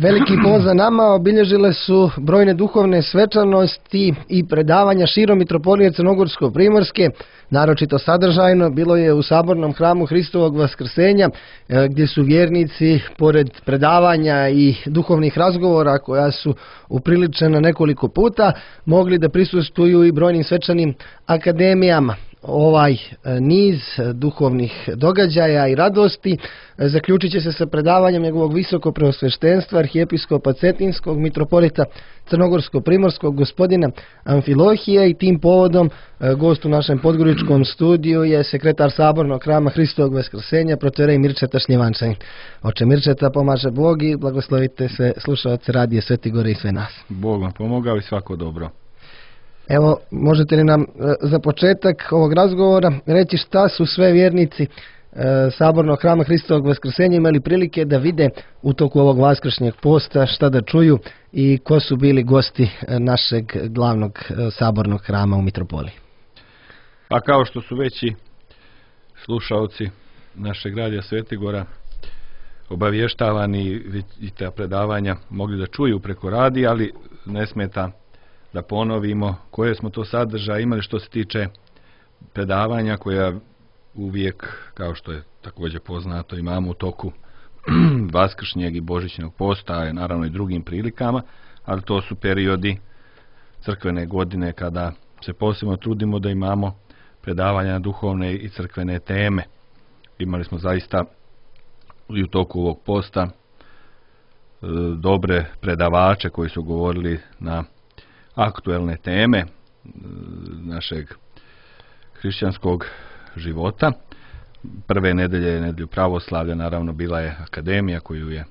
Veliki poza nama obilježile su brojne duhovne svečanosti i predavanja širom Mitropolije Crnogorsko-Primorske. Naročito sadržajno bilo je u Sabornom hramu Hristovog Vaskrsenja, gdje su vjernici, pored predavanja i duhovnih razgovora koja su upriličena nekoliko puta, mogli da prisustvuju i brojnim svečanim akademijama. Ovaj niz duhovnih događaja i radosti zaključit će se sa predavanjem njegovog visoko preosveštenstva arhijepiskopa Cetinskog mitropolita Crnogorsko-Primorskog gospodina Amfilohija, i tim povodom gost u našem podgoričkom studiju je sekretar Sabornog hrama Hristovog Vaskrsenja protoijerej Mirčeta Šljivančanin. Oče Mirčeta, pomaže Bog i blagoslovite sve slušaoce Radije Sveti Gore i sve nas. Bog vam pomogao i svako dobro. Evo, možete li nam za početak ovog razgovora reći šta su sve vjernici Sabornog hrama Hristovog Vaskrsenja imali prilike da vide u toku ovog vaskršnjeg posta, šta da čuju i ko su bili gosti našeg glavnog Sabornog hrama u Mitropoliji? Pa kao što su veći slušaoci našeg Radija Sveti Gora obavještavani i ta predavanja mogli da čuju preko radija, ali ne smeta da ponovimo koje smo to sadržaje imali što se tiče predavanja koja uvijek, kao što je također poznato, imamo u toku vaskršnjeg i božićnog posta, a naravno i drugim prilikama, ali to su periodi crkvene godine kada se posebno trudimo da imamo predavanja na duhovne i crkvene teme. Imali smo zaista i u toku ovog posta dobre predavače koji su govorili na aktuelne teme našeg hrišćanskog života. Prve nedelje, nedelju pravoslavlja, naravno bila je akademija koju je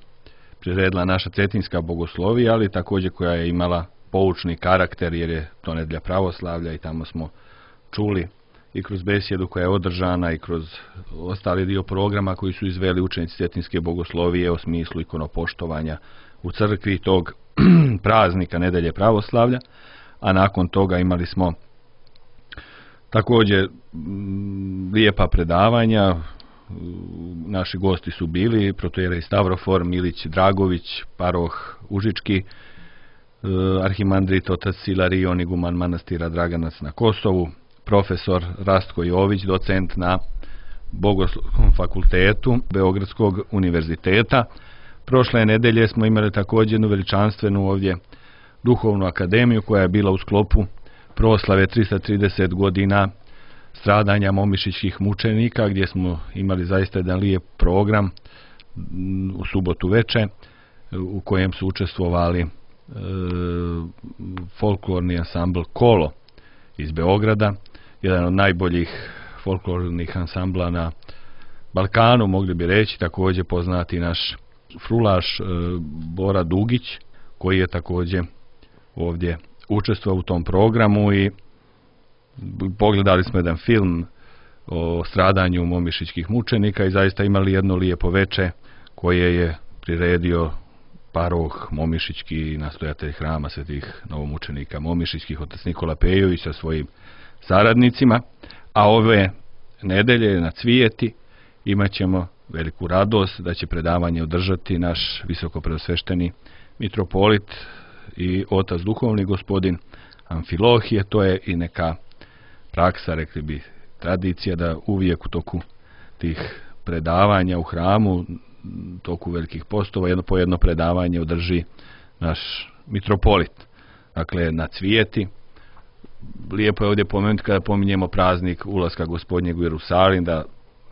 priredila naša Cetinska bogoslovija, ali također koja je imala poučni karakter jer je to nedelja pravoslavlja i tamo smo čuli i kroz besjedu koja je održana i kroz ostali dio programa koji su izveli učenici Cetinske bogoslovije o smislu ikonopoštovanja u crkvi tog praznika nedelje pravoslavlja, a nakon toga imali smo također lijepa predavanja. Naši gosti su bili protoijerej Stavrofor Milić Dragović, paroh Užički, arhimandrit otac Silarion, iguman manastira Draganac na Kosovu, profesor Rastko Jović, docent na Bogoslovnom fakultetu Beogradskog univerziteta. Prošle nedelje smo imali također jednu veličanstvenu ovdje duhovnu akademiju koja je bila u sklopu proslave 330 godina stradanja momišićkih mučenika, gdje smo imali zaista jedan lijep program u subotu veče u kojem su učestvovali folklorni ansambl Kolo iz Beograda, jedan od najboljih folklornih ansambla na Balkanu, mogli bi reći, također poznati naš frulaš Bora Dugić, koji je također ovdje učestvovao u tom programu, i pogledali smo jedan film o stradanju momišićkih mučenika i zaista imali jedno lijepo veče koje je priredio paroh Momišićki, nastojatelj hrama svetih novomučenika momišićkih, otac Nikola Pejović sa svojim saradnicima. A ove nedelje na Cvijeti imat ćemo veliku radost da će predavanje održati naš visoko preosvešteni mitropolit i otac duhovni gospodin Amfilohije. To je i neka praksa, rekli bi tradicija, da uvijek u toku tih predavanja u hramu, u toku velikih postova, po jedno predavanje održi naš mitropolit. Dakle, na Cvijeti. Lijepo je ovdje pomenuti kada pominjemo praznik ulaska Gospodnjeg u Jerusalim, da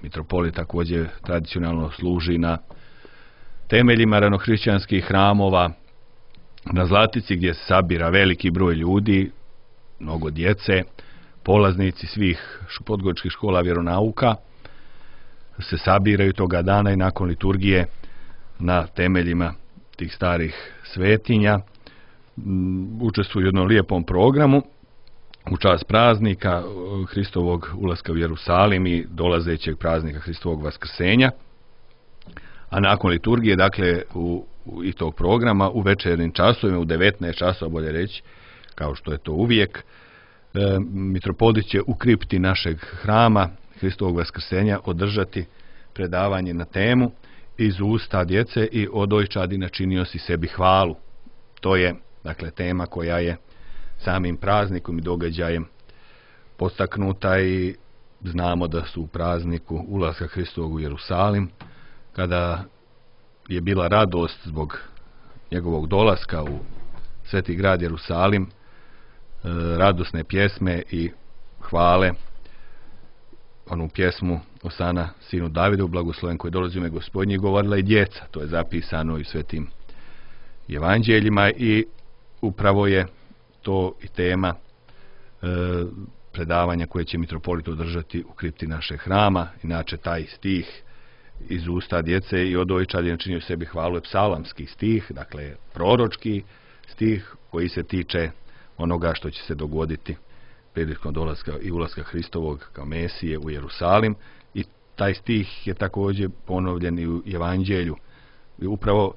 mitropolit također tradicionalno služi na temeljima ranohrišćanskih hramova na Zlatici, gdje se sabira veliki broj ljudi, mnogo djece, polaznici svih podgoričkih škola vjeronauka se sabiraju toga dana i nakon liturgije na temeljima tih starih svetinja učestvuju u jednom lijepom programu u čast praznika Hristovog ulaska u Jerusalim i dolazećeg praznika Hristovog Vaskrsenja. A nakon liturgije, dakle, i tog programa, u večernjim časovima, u 19 časova, bolje reći, kao što je to uvijek, mitropolit će u kripti našeg hrama Hristovog Vaskrsenja održati predavanje na temu iz usta djece i od dojčadi načinio si sebi hvalu. To je, dakle, tema koja je samim praznikom i događajem podstaknuta i znamo da su u prazniku ulaska Hristovog u Jerusalim, kada je bila radost zbog njegovog dolaska u sveti grad Jerusalim, radosne pjesme i hvale, onu pjesmu Osana sinu Davidu, blagosloven koji dolazi u ime Gospodnje, govorila i djeca. To je zapisano i u svetim evanđeljima i upravo je to i tema predavanja koje će mitropolit održati u kripti našeg hrama. Inače, taj stih iz usta djece i od dojčadi načinio sebi hvalu je psalamski stih, dakle proročki stih koji se tiče onoga što će se dogoditi prilikom dolaska i ulaska Hristovog kao Mesije u Jerusalim, i taj stih je također ponovljen i u evanđelju. I upravo,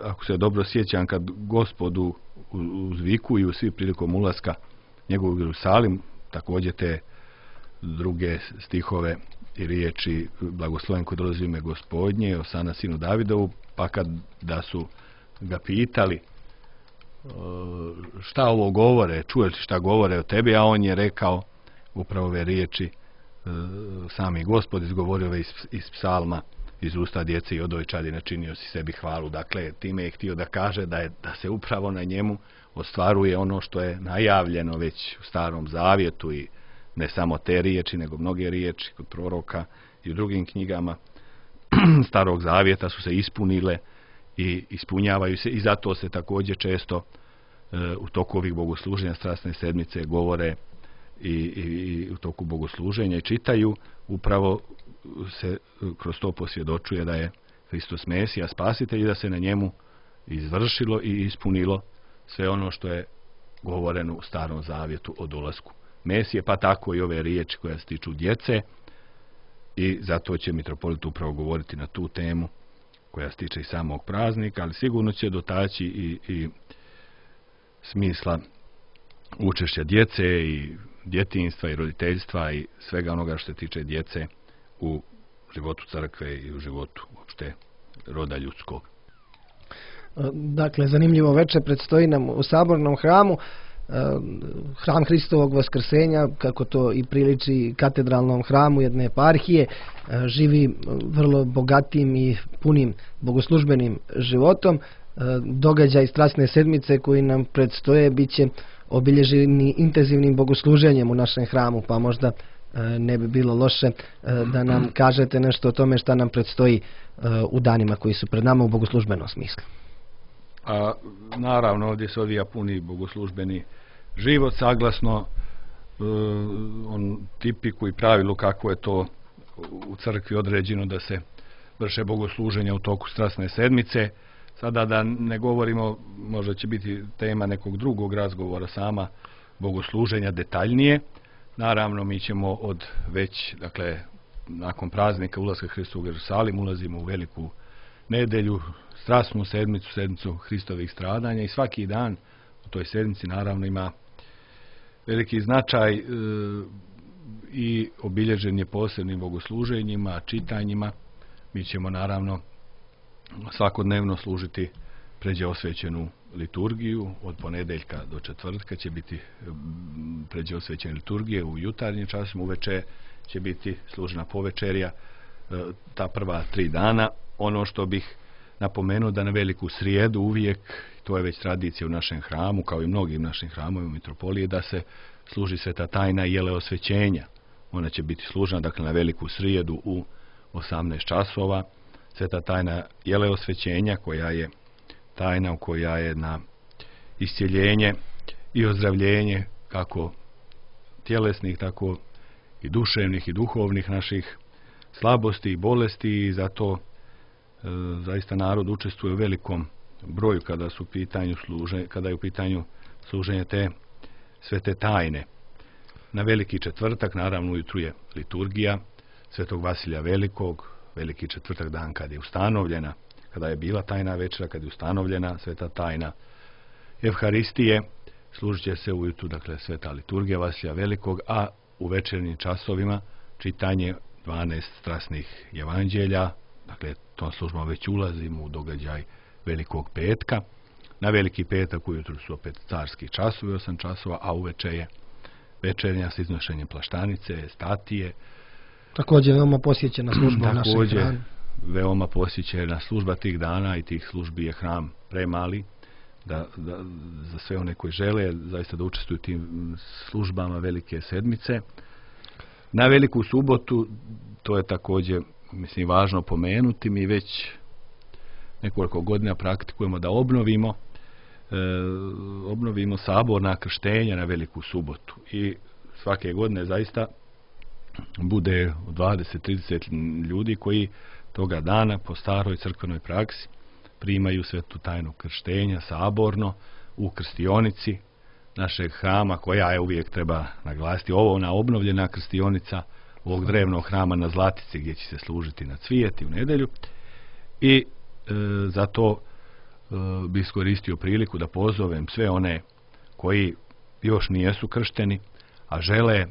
ako se dobro sjećam, kad Gospodu uzvikuju svi prilikom ulaska njegovog u Jerusalim, također te druge stihove i riječi blagosloven koji dolazi u ime Gospodnje, Osana sinu Davidovu, pa kad da su ga pitali šta ovo govore, čuješ li šta govore o tebi, a on je rekao upravo ove riječi, sami Gospod izgovorio ove iz psalma, iz usta djece i od dojčadi načinio si sebi hvalu. Dakle, time je htio da kaže da se upravo na njemu ostvaruje ono što je najavljeno već u Starom Zavjetu, i ne samo te riječi, nego mnoge riječi kod proroka i u drugim knjigama Starog Zavjeta su se ispunile i ispunjavaju se, i zato se također često u toku ovih bogosluženja Strasne sedmice govore i u toku bogosluženja i čitaju, upravo se kroz to posvjedočuje da je Hristos Mesija, spasitelj, i da se na njemu izvršilo i ispunilo sve ono što je govoreno u Starom Zavjetu o dolasku Mesije, pa tako i ove riječi koje se tiču djece, i zato će mitropolit upravo govoriti na tu temu koja se tiče i samog praznika, ali sigurno će dotaći i smisla učešća djece i djetinjstva i roditeljstva i svega onoga što se tiče djece u životu crkve i u životu uopšte roda ljudskog. Dakle, zanimljivo večer predstoji nam u Sabornom hramu. Hram Hristovog Vaskrsenja, kako to i priliči katedralnom hramu jedne eparhije, živi vrlo bogatim i punim bogoslužbenim životom. Događaj Strasne sedmice koji nam predstoje bit će obilježeni intenzivnim bogosluženjem u našem hramu, pa možda ne bi bilo loše da nam kažete nešto o tome šta nam predstoji u danima koji su pred nama u bogoslužbenom smislu. A naravno, ovdje se odvija puni bogoslužbeni život, saglasno on tipiku i pravilu kako je to u crkvi određeno da se vrše bogosluženja u toku Strasne sedmice. Sada da ne govorimo, možda će biti tema nekog drugog razgovora, sama bogosluženja detaljnije. Naravno, mi ćemo dakle, nakon praznika ulaska Hristovog u Jerusalim, ulazimo u veliku nedelju, Strasnu sedmicu, sedmicu Hristovih stradanja, i svaki dan u toj sedmici naravno ima veliki značaj i obilježen je posebnim bogosluženjima, čitanjima. Mi ćemo naravno svakodnevno služiti pređe osvećenu liturgiju. Od ponedeljka do četvrtka će biti pređe osvećene liturgije u jutarnjim časima, uveče će biti služena povečerja, ta prva 3 dana. Ono što bih napomenuo da na veliku srijedu uvijek, to je već tradicija u našem hramu, kao i mnogim našim hramovima mitropolije, da se služi sveta tajna jele osvećenja. Ona će biti služena, dakle, na veliku srijedu u 18 časova. Sveta tajna jele osvećenja, koja je tajna koja je na iscjeljenje i ozdravljenje kako tjelesnih, tako i duševnih i duhovnih naših slabosti i bolesti, i zato zaista narod učestvuje u velikom broju kada je u pitanju služenje te svete tajne. Na veliki četvrtak, naravno, ujutru je liturgija Svetog Vasilija Velikog, veliki četvrtak, dan kad je ustanovljena, kada je bila tajna večera, kad je ustanovljena sveta tajna Evharistije, služit će se ujutru, dakle, sveta liturgija Vasilija Velikog, a u večernjim časovima čitanje 12 strasnih evanđelja, Dakle, tom službom već ulazimo u događaj Velikog petka. Na Veliki petak ujutru su opet carski časovi, 8 časova, a uveče je večernja s iznošenjem plaštanice, statije. Također veoma posjećena služba u našem hramu. Veoma posjećena služba tih dana i tih službi je hram premali da za sve one koji žele zaista da učestvuju u tim službama Velike sedmice. Na Veliku subotu, to je također važno pomenuti, mi već nekoliko godina praktikujemo da obnovimo saborna krštenja na Veliku subotu i svake godine zaista bude 20-30 ljudi koji toga dana po staroj crkvenoj praksi primaju svetu tajnu krštenja saborno u krstionici našeg hrama, koja je, uvijek treba naglasiti, ona obnovljena krstionica ovog drevnog hrama na Zlatici gdje će se služiti na Cvijeti u nedjelju. I zato bi iskoristio priliku da pozovem sve one koji još nijesu kršteni, a žele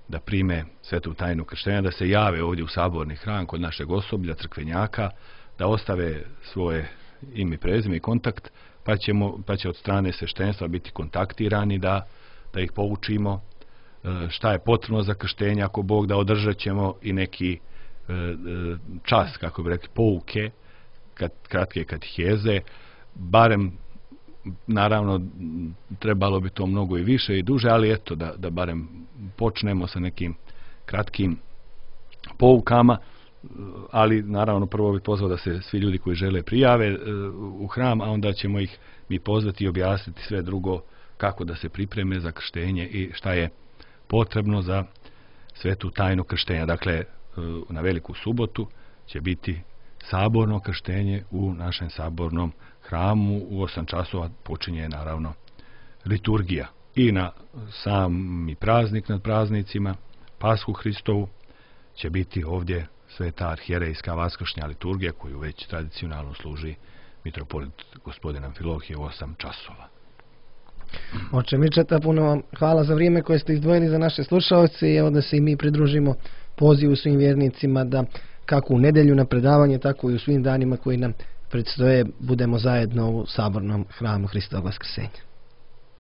da prime svetu tajnu krštenja, da se jave ovdje u saborni hram kod našeg osoblja, crkvenjaka, da ostave svoje ime i prezime i kontakt, pa će od strane sveštenstva biti kontaktirani da ih poučimo šta je potrebno za krštenje, ako Bog da, održat ćemo i neki čas, kako bi rekli, pouke, kratke kateheze, barem, naravno, trebalo bi to mnogo i više i duže, ali eto, da barem počnemo sa nekim kratkim poukama, ali naravno prvo bih pozvao da se svi ljudi koji žele prijave u hram, a onda ćemo ih mi pozvati i objasniti sve drugo, kako da se pripreme za krštenje i šta je potrebno za svetu tajnu krštenja. Dakle, na Veliku subotu će biti saborno krštenje u našem sabornom hramu. U 8 časova počinje naravno liturgija. I na sami praznik nad praznicima, Pashu Hristovu, će biti ovdje sveta arhijerejska vaskršnja liturgija, koju već tradicionalno služi mitropolit gospodin Amfilohije u 8 časova. Oče Mičeta, puno vam hvala za vrijeme koje ste izdvojili za naše slušalce i evo da se i mi pridružimo pozivu svim vjernicima da kako u nedjelju na predavanje, tako i u svim danima koji nam predstoje budemo zajedno u sabornom hramu Hristovog vaskrsenja.